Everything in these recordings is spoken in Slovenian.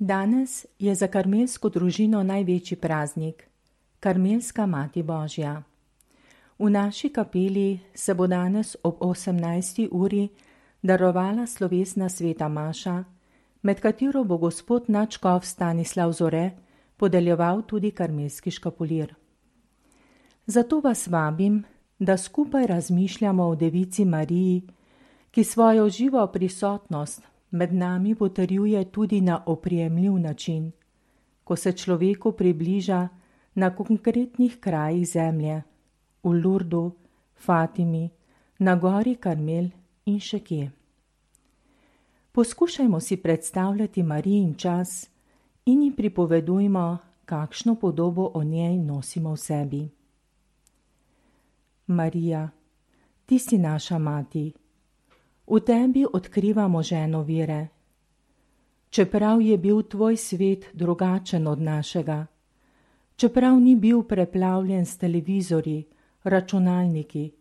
Danes je za karmelsko družino največji praznik, Karmelska Mati Božja. V naši kapeli se bo danes ob 18. uri darovala slovesna sveta maša, med katero bo gospod nadškof Stanislav Zore podeljeval tudi karmelski škapulir. Zato vas vabim, da skupaj razmišljamo o Devici Mariji, ki svojo živo prisotnost med nami potrjuje tudi na oprijemljiv način, ko se človeku približa na konkretnih krajih zemlje, v Lurdu, Fatimi, na gori Karmel in še kje. Poskušajmo si predstavljati Marijin čas in ji pripovedujmo, kakšno podobo o njej nosimo v sebi. Marija, ti si naša mati. V tebi odkrivamo ženo vere. Čeprav je bil tvoj svet drugačen od našega, čeprav ni bil preplavljen s televizorji, računalniki,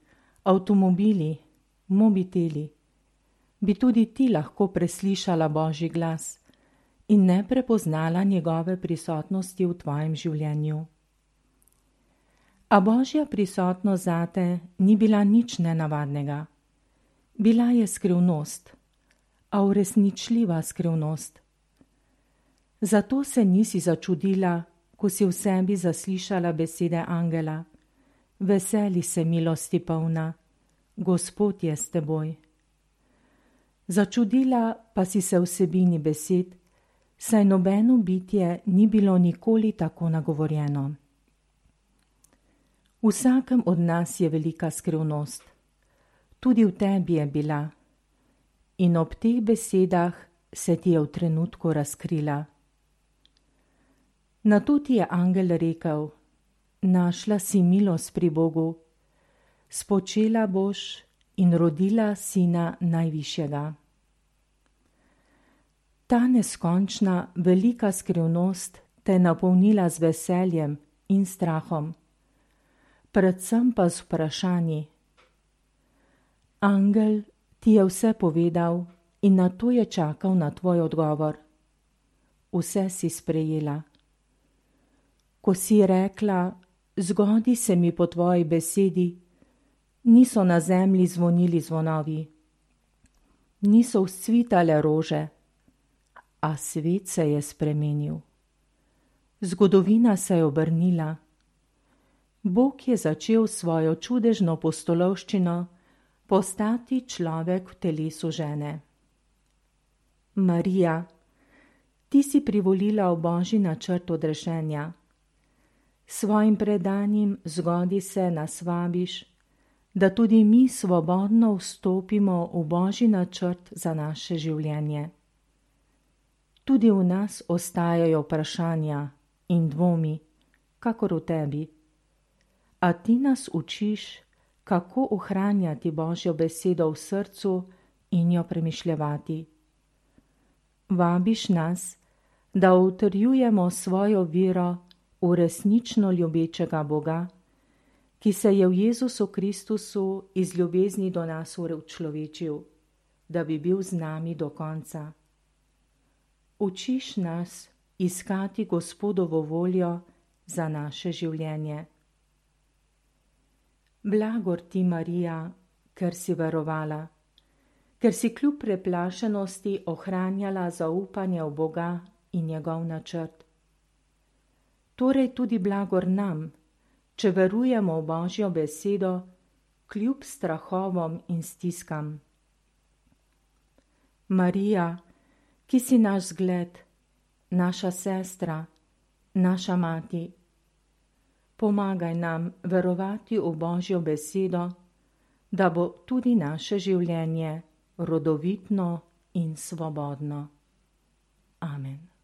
avtomobili, mobiteli, bi tudi ti lahko preslišala Božji glas in ne prepoznala njegove prisotnosti v tvojem življenju. A Božja prisotnost zate ni bila nič nenavadnega. Bila je skrivnost, a uresničljiva skrivnost. Zato se nisi začudila, ko si v sebi zaslišala besede angela: Veseli se, milosti polna, Gospod je s teboj. Začudila pa si se vsebini besed, saj nobeno bitje ni bilo nikoli tako nagovorjeno. V vsakem od nas je velika skrivnost. Tudi v tebi je bila. In ob teh besedah se ti je v trenutku razkrila. Nato ti je angel rekel: Našla si milost pri Bogu, spočela boš in rodila sina najvišjega. Ta neskončna, velika skrivnost te je napolnila z veseljem in strahom, predvsem pa z vprašanji. Angel ti je vse povedal in nato je čakal na tvoj odgovor. Vse si sprejela. Ko si rekla: Zgodi se mi po tvoji besedi, niso na zemlji zvonili zvonovi, niso vzcvitale rože, a svet se je spremenil. Zgodovina se je obrnila. Bog je začel svojo čudežno pustolovščino postati človek v telesu žene. Marija, ti si privolila v Božji načrt odrešenja. Svojim predanjem zgodi se nas vabiš, da tudi mi svobodno vstopimo v Božji načrt za naše življenje. Tudi v nas ostajajo vprašanja in dvomi, kakor v tebi. A ti nas učiš, kako ohranjati Božjo besedo v srcu in jo premišljevati. Vabiš nas, da utrjujemo svojo vero v resnično ljubečega Boga, ki se je v Jezusu Kristusu iz ljubezni do nas učlovečil, da bi bil z nami do konca. Učiš nas iskati Gospodovo voljo za naše življenje. Blagor ti, Marija, ker si verovala, ker si kljub preplašenosti ohranjala zaupanje v Boga in njegov načrt. Torej tudi blagor nam, če verujemo v Božjo besedo, kljub strahovom in stiskam. Marija, ki si naš zgled, naša sestra, naša mati, pomagaj nam verovati v Božjo besedo, da bo tudi naše življenje rodovitno in svobodno. Amen.